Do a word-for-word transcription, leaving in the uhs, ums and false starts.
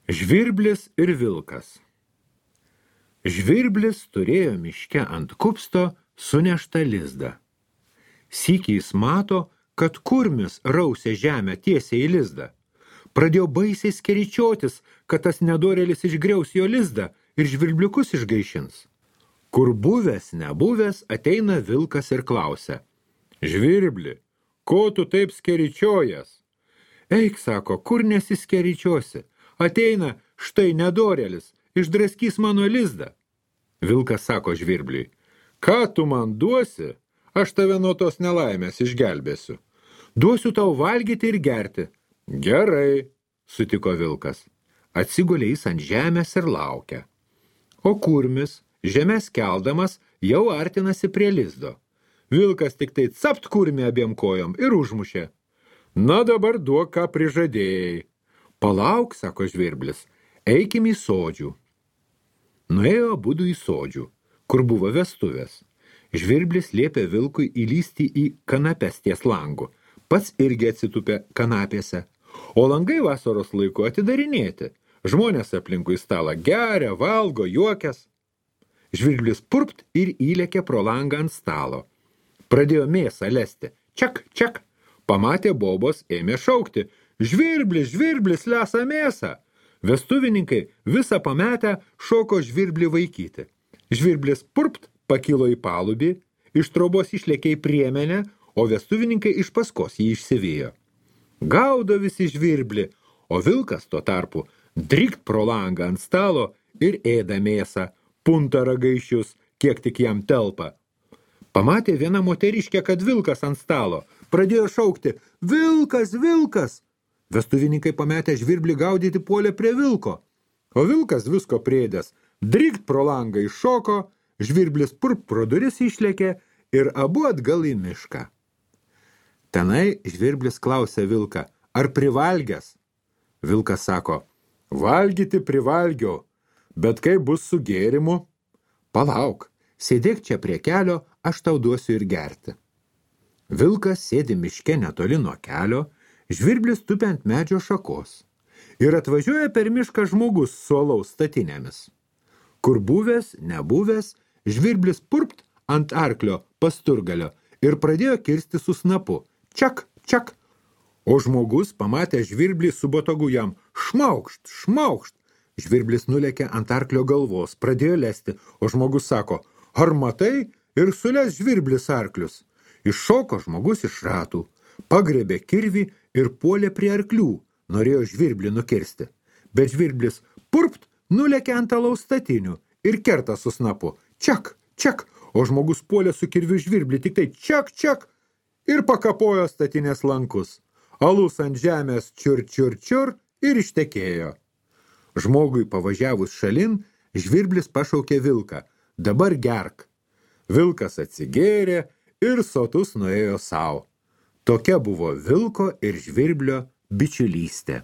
Žvirblis ir vilkas. Žvirblis turėjo miške ant kupsto suneštą lizdą. Sykį jis mato, kad kurmis rausia žemę tiesiai į lizdą. Pradėjo baisiai skeričiotis, kad tas nedorėlis išgriaus jo lizdą ir žvirbliukus išgaišins. Kur buvęs, nebuvęs, ateina vilkas ir klausia: Žvirbli, ko tu taip skeričiojas? Eik, sako, kur nesiskeričiosi? Ateina štai nedorėlis, išdraskys mano lizdą. Vilkas sako žvirbliui: ką tu man duosi? Aš tave nuo tos nelaimės išgelbėsiu. Duosiu tau valgyti ir gerti. Gerai, sutiko vilkas. Atsigulė jis ant žemės ir laukia. O kurmis, žemės keldamas, jau artinasi prie lizdo. Vilkas tik tai capt kurmį abiem kojom ir užmušė. Na dabar duok, ką prižadėjai. Palauk, sako žvirblis, eikim į sodžių. Nuėjo abudu į sodžių, kur buvo vestuvės. Žvirblis liepė vilkui įlysti į kanapes ties langu. Pats irgi atsitupė kanapėse. O langai vasaros laiku atidarinėti. Žmonės aplinkui stalą geria, valgo, juokias. Žvirblis purpt ir įlėkė pro langą ant stalo. Pradėjo mėsą lesti. Čak, čak. Pamatė bobos, ėmė šaukti. Žvirblis, žvirblis, lesa mėsą. Vestuvininkai visą pametę šoko žvirblį vaikyti. Žvirblis purpt pakilo į palubį, iš trobos išlėkė į priemenę, o vestuvininkai iš paskos jį išsivijo. Gaudo visi žvirblį, o vilkas tuo tarpu drikt pro langą ant stalo ir ėda mėsą, punta ragaišius, kiek tik jam telpa. Pamatė viena moteriškė, kad vilkas ant stalo, pradėjo šaukti: Vilkas, vilkas! Vestuvininkai pametę žvirblį gaudyti puolė prie vilko, o vilkas visko priedęs, drikt pro langą iššoko, žvirblis purp pro duris išlėkė ir abu atgal į mišką. Tenai žvirblis klausė vilką: ar privalgęs? Vilkas sako: valgyti privalgiau, bet kaip bus su gėrimu? Palauk, sėdėk čia prie kelio, aš tau duosiu ir gerti. Vilkas sėdi miške netoli nuo kelio, žvirblis tupi ant medžio šakos ir atvažiuoja per mišką žmogus su alaus statinėmis. Kur buvęs, nebuvęs, žvirblis purpt ant arklio pasturgalio ir pradėjo kirsti su snapu. Čak, čak. O žmogus pamatė žvirblį su botagu jam. Šmaukšt, šmaukšt. Žvirblis nulėkė ant arklio galvos, pradėjo lesti, o žmogus sako: ar matai? Ir sules žvirblis arklius. Iššoko žmogus iš ratų, pagrebė kirvį ir puolė prie arklių, norėjo žvirblį nukirsti. Bet žvirblis purpt nulėkė ant alaus statinių ir kerta su snapu. Čak, čak, o žmogus puolė su kirviu žvirblį, tik tai čak, čak, ir pakapojo statinės lankus. Alus ant žemės čiur, čiur, čiur ir ištekėjo. Žmogui pavažiavus šalin, žvirblis pašaukė vilką: dabar gerk. Vilkas atsigėrė ir sotus nuėjo sau. Tokia buvo vilko ir žvirblio bičiulystė.